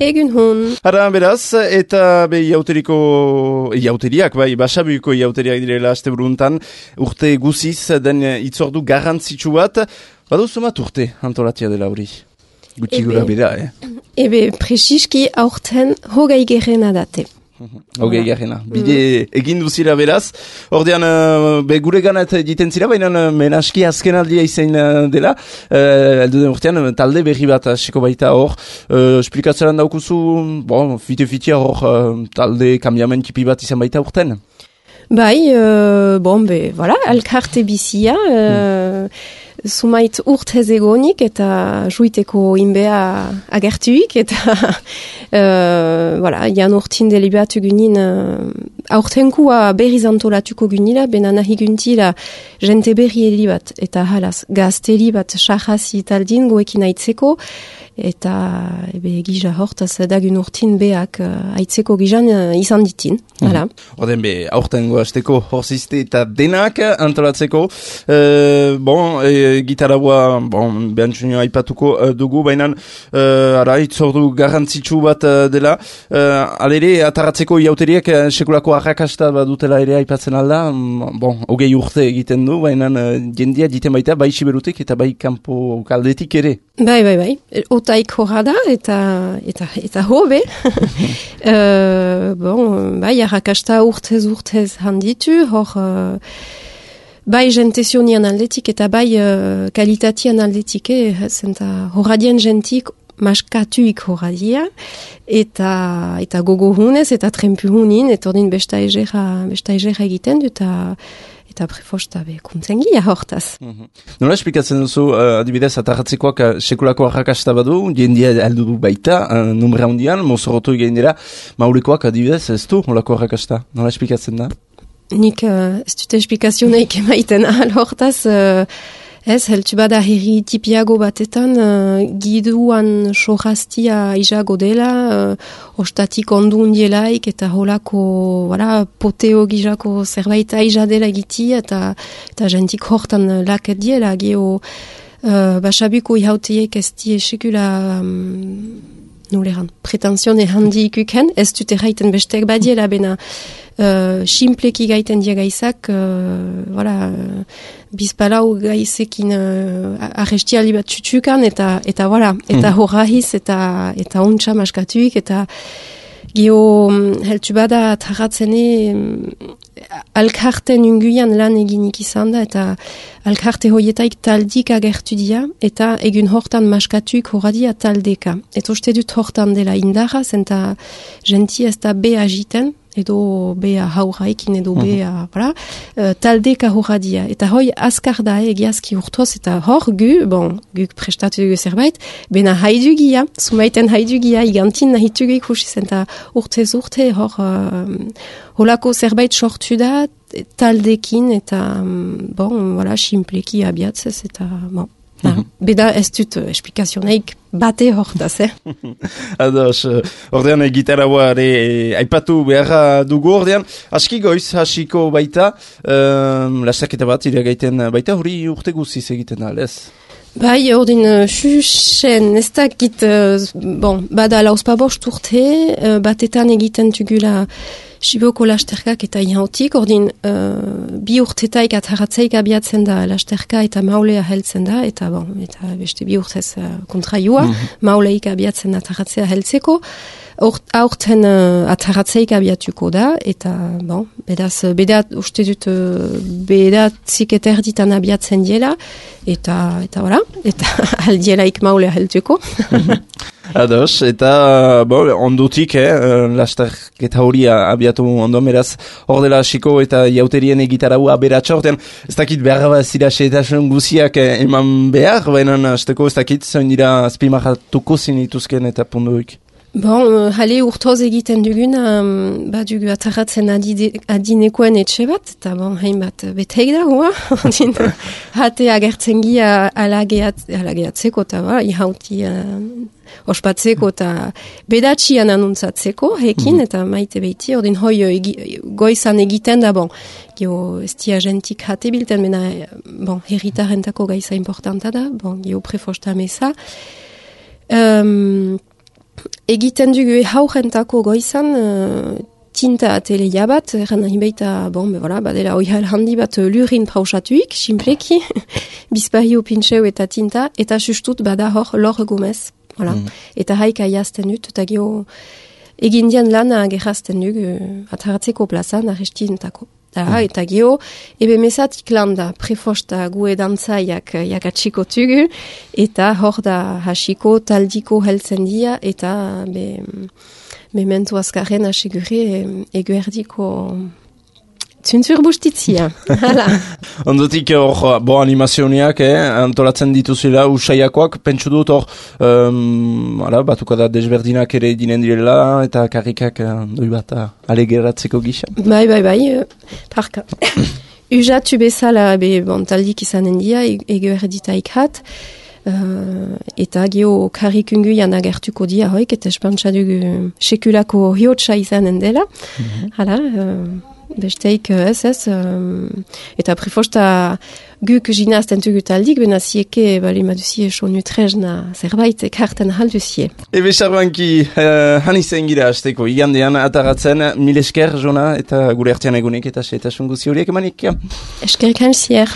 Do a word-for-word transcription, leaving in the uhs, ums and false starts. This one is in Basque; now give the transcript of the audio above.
Egun hon. Ara, beraz, eta be iauteriko, iauteriak, bai, basabuiko iauteriak direla aste buruntan, urte guziz den itzordu garrantzitsu bat, baduzu mat urte antolatia dela hori. Gutxi gura bera, eh? Ebe, presiski aurten hogei gerena date. Hogei garrena. Bide egin duzira beraz. Ordean, uh, be gure ganat egiten zira, baina uh, menaski azken aldia izan uh, dela. Uh, Eldu den urtean, talde berri bat hasiko baita hor. Uh, Esplikatzeran daukuzu, bon, fite-fitea hor uh, talde kambiamen tipi bat izan baita urten. Bai, uh, bon, be, voilà, alkarte bizia, uh, hmm. Sumait urtez egonik eta juiteko inbea agertuik eta uh, voilà, jan urtin delibatu gunin uh, aurtenkua berriz antolatuko gunila, bena nahi guntila jente berri heli bat eta halaz gazteli bat sahazi taldin goekin aitzeko eta ebe gija hortaz dagun urtin beak uh, aitzeko gizan uh, izan ditin. Hala. Oden be, aurtengo hasteko horzizte eta denak antolatzeko. Uh, bon, e, gitarabua, bon, behantxunio aipatuko uh, dugu, baina uh, ara, itzordu garrantzitsu bat uh, dela. Uh, alere, ataratzeko iauteriek uh, sekulako arrakasta bat dutela ere aipatzen alda. Um, bon, hogei urte egiten du, baina uh, jendia diten baita, bai siberutik eta bai kanpo kaldetik ere. Bai, bai, bai. Otaik horra da, eta, eta, eta hobe. uh, bon, bai, arrakasta urtez urtez handitu, hor, uh, bai jentesionian aldetik, eta bai uh, kalitatian aldetik, eh, zenta horradien jentik maskatuik horradia, eta, eta gogo hunez, eta trempu hunin, eta ordin besta egera, besta egera egiten du, eta eta prefosta be kuntzengia hortaz. Mm-hmm. Nola esplikatzen duzu, uh, adibidez, atarratzekoak uh, sekulako arrakasta badu, jendia aldu du baita, uh, numera hundian, mozorotu egin dira, maulekoak adibidez, ez du, holako arrakasta? Nola esplikatzen da? Nik uh, ez dute esplikazioneik emaiten ahal hortaz, uh, ez, heltu bada herri tipiago batetan, uh, giduan sohaztia izago dela, uh, ostatik ondu undielaik, eta holako, voilà, poteo gizako zerbait aiza dela egiti, eta, eta jentik hortan laket diela, geho, uh, basabuko ihauteiek ez die sekula, um, nuleran, pretensione handi ikuken, ez dute raiten bestek badiela, bena, Uh, simpleki gaiten dia gaizak, uh, voilà, uh, bizpalau gaizekin uh, arrestiali bat txutxukan, eta, eta, voilà, eta mm. horrahiz, eta, eta ontsa maskatuik, eta geho, heltu bada tarratzene, um, alkarten unguian lan eginik izan da, eta alkarte hoietaik taldik agertu dia, eta egun hortan maskatuik horradia taldeka. Eta uste dut hortan dela indarra, zenta genti ez da be agiten, edo bea hauraikin, edo bea, voilà, uh, taldeka horradia. Eta hoi azkar da egiazki urtoz, eta hor gu, bon, guk prestatu dugu zerbait, bena haidugia, sumaiten haidugia, igantin nahitugu ikusi zen, eta urtez urte hor, uh, holako zerbait sortu da, taldekin, eta, um, bon, voilà, simpleki abiatzez, eta, bon. Mm-hmm. Beda ez dut uh, esplikazioneik bate hortaz, eh? Ados, ordean e, gitarra ere aipatu beharra dugu ordean. Aski goiz, hasiko baita, um, lastaketa bat iragaiten baita, hori urte guziz egiten da, lez? Bai, ordin, uh, xuxen, ez dakit, uh, bon, bada lauspabost urte, uh, batetan egiten tugula Siboko lasterkak eta ihautik, ordin, uh, bi urtetaik atharatzeik abiatzen da lasterka eta maulea heltzen da, eta bon, eta beste bi urtez uh, kontraioa, mm-hmm. mauleik abiatzen atharatzea heltzeko, aurten uh, atharatzeik abiatuko da, eta bon, bedaz, bedat, uste dut, uh, bedatzik eta erditan abiatzen diela, eta, eta, voilà, eta aldielaik maulea heltuko. Ados, eta bo, ondutik, eh, lasterketa hori abiatu ondo, meraz, hor dela hasiko eta jauterien egitarau aberatxa, ortean, ez dakit behar bat zira xeetasun guziak eh, eman behar, baina azteko ez dakit, zain dira azpimarratuko zinituzken eta punduik. Bon, hale urtoz egiten dugun, um, bat dugu atarratzen adinekoen etxe bat, eta bon, hain bat beteik da, hoa? Hate agertzen gia alageat, alageatzeko, eta ba, ihauti uh, ospatzeko, eta bedatxian anuntzatzeko, hekin, mm. eta maite behiti, ordin hoi egi, goizan egiten da, bon, geho ez dia gentik hate bilten, mena, bon, herritarentako gaiza importanta da, bon, geho prefosta meza. Um, egiten dugu haurentako goizan uh, tinta ateleia bat, erran nahi baita, bon, be, voilà, badela oihal handi bat lurin prausatuik, simpleki, bizpahio pintxeu eta tinta, eta sustut bada hor lor gomez, voilà. Mm. Eta haika jazten dut, eta gio egin dian lana gerrazten dugu ataratzeko plazan arrestintako. Da, eta gio, ebe mesatik landa prefosta gue dantzaiak jakatsiko tugu, eta hor da hasiko taldiko heltzen dia, eta be, mementu azkarren asegure eguerdiko zuntzur bustitzia. Ondotik hor, bo animazioneak, eh, antolatzen dituzela usaiakoak, pentsu dut hor, um, ala, batuko da desberdinak ere dinen direla, eta karrikak doi bat alegeratzeko gisa. Bai, bai, bai, uh, parka. Ujatu bezala, be, bon, taldik izanen dia, ego erditaik hat, uh, eta gio karrikungu jan agertuko dia hoik, eta espantsa dugu sekulako hiotsa izanen dela. Mm-hmm. Hala, uh, besteik ez ez, um, eta prefosta guk ginazten tugu taldik, bena zieke, bali maduzie sonu trezna zerbait ekarten halduzie. Ebe sarbanki, uh, hanizen gira azteko, igandean ataratzen, mil esker, Jona, eta gure artean egunek, eta setasun guzi horiek emanik. Eskerrik hansier.